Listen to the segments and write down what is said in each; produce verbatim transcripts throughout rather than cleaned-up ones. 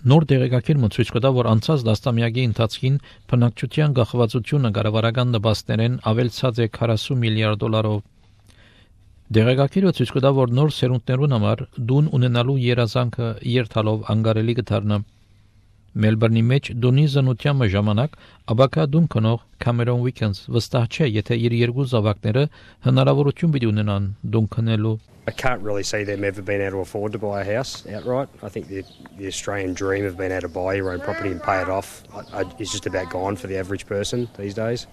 Նոր դեղեկագիրը ցույց կտա, որ անցած դասամյակի ընթացքին բնակչության գաղվածությունը կառավարական նպաստներեն ավելցած է քառասուն միլիարդ դոլարով։ Դեղեկագիրը ցույց կտա, որ նոր սերունդներուն համար դուն ունենալու երազանքը երթալով անկարելի կդառնա։ Մելբուրնի մեջ դունի զնության ժամանակ աբակա դուն կնող Cameron Wickens վստահ չէ, եթե իր երկու զավակները հնարավորություն պիտի ունենան դուն կնելու։ I can't really see them ever being able to afford to buy a house outright. I think the, the Australian dream of being able to buy your own property and pay it off I, I, is just about gone for the average person these days.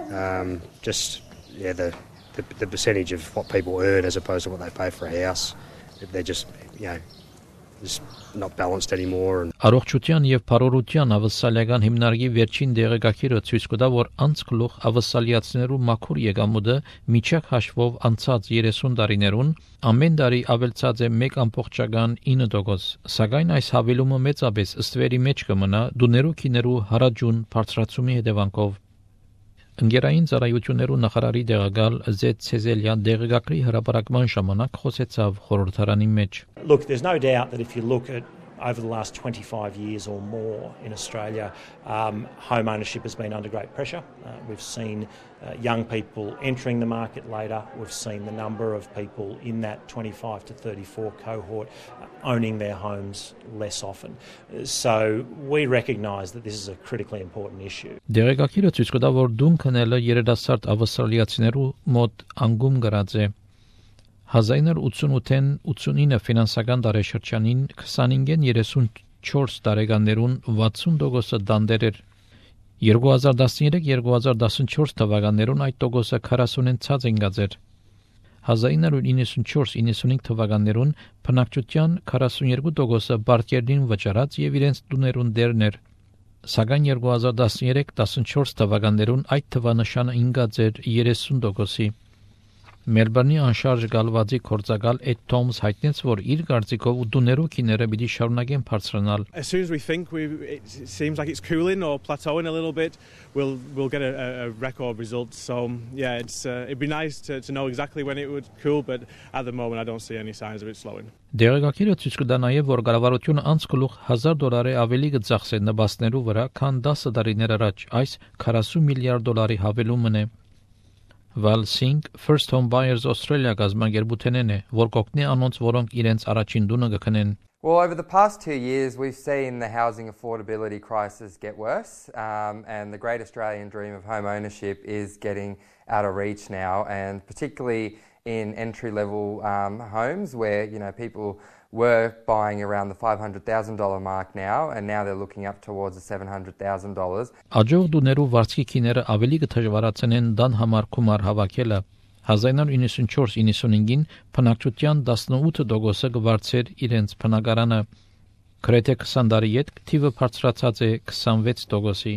Um, just, yeah, the, the the percentage of what people earn as opposed to what they pay for a house, they're just, you know, just not balanced anymore. And Առողջության եւ բարօրության ավսալիական հիմնարկի վերջին դեղեկագիրը ցույց կտա, որ անցկլող ավսալիացիներու մաքուր եկամուտը միջակ հաշվով անցած երեսուն տարիներուն ամեն տարի ավելցած է մեկ ամբողջական ինը տոկոս, սակայն այս հավելումը մեծապես ըստվերի մեջ կմնա դուներու քիներու հարաճուն բարձրացումի հետևանքով։ Ընկերային ծառայություններու նախարարի դեղակալ Զեդ Ցեզելյան դեղեկագրի հրապարակման ժամանակ խոսեցավ խորհրդարանի մեջ։ Look, there's no doubt that if you look at over the last twenty-five years or more in Australia, um, home ownership has been under great pressure. Uh, we've seen uh, young people entering the market later. We've seen the number of people in that twenty-five to thirty-four cohort uh, owning their homes less often. So we recognise that this is a critically important issue. Դեղեկագիրը ցույց կտա, որ դուն քնելը երիտասարդ ավստրալիացիներու մոտ անգում գրած է։ հազար ինը ութսունութ-ին ութսունինը ֆինանսական տարեշրջանին քսանինգեն երեսունչորս տարեկաններուն վաթսուն տոկոսը դանդեր էր։ երկու հազար տասներեք երկու հազար տասնչորս թվականներուն այդ տոկոսը քառասունին ցած ընկած էր։ հազար ինը իննսունչորս իննսունհինգ թվականներուն բնակչության քառասունյոթ տոկոսը բարձերին վճարած եւ իրենց տուներուն դերն էր։ Սակայն երկու հազար տասներեք տասնչորս թվականներուն այդ թվանշանը ընկած էր երեսուն տոկոսի։ Մելբուրնի անշարժ գալվածի կորցակալ Էդ Թոմս հայտնեց, որ իր կարծիքով դուներու քիները պիտի շարունակեն բարձրանալ։ As soon as we think we it seems like it's cooling or plateauing a little bit, we'll we'll get a, a record result. So yeah, it's uh, it'd be nice to to know exactly when it would cool, but at the moment I don't see any signs of it slowing. Դեղեկագիրը ցույց կտա նաև, որ կառավարությունը անցկլուխ հազար դոլարի ավելի կծախսի նպաստներու վրա, քան դասը տարիներ առաջ այս քառասուն միլիարդ դոլարի հավելումն է։ Val Singh First Home Buyers Australia գազագերբութենեն է, որ կօգնի անոնց, որոնք իրենց առաջին տունը կքնեն։ Well, over the past two years, we've seen the housing affordability crisis get worse, um, and the great Australian dream of home ownership is getting out of reach now, and particularly in entry-level um, homes where, you know, people were buying around the five hundred thousand dollars mark now, and now they're looking up towards the seven hundred thousand dollars. Աջող դուներու վարձքի քիները ավելի կդժվարացնեն դան համար գումար հավաքելը։ հազար ինը իննսունչորս իննսունհինգին բնակչության տասնութ տոկոսը կվարձեր իրենց բնակարանը։ Գրեթե քսան տարի յետ թիվը բարձրացած է քսանվեց տոկոսի։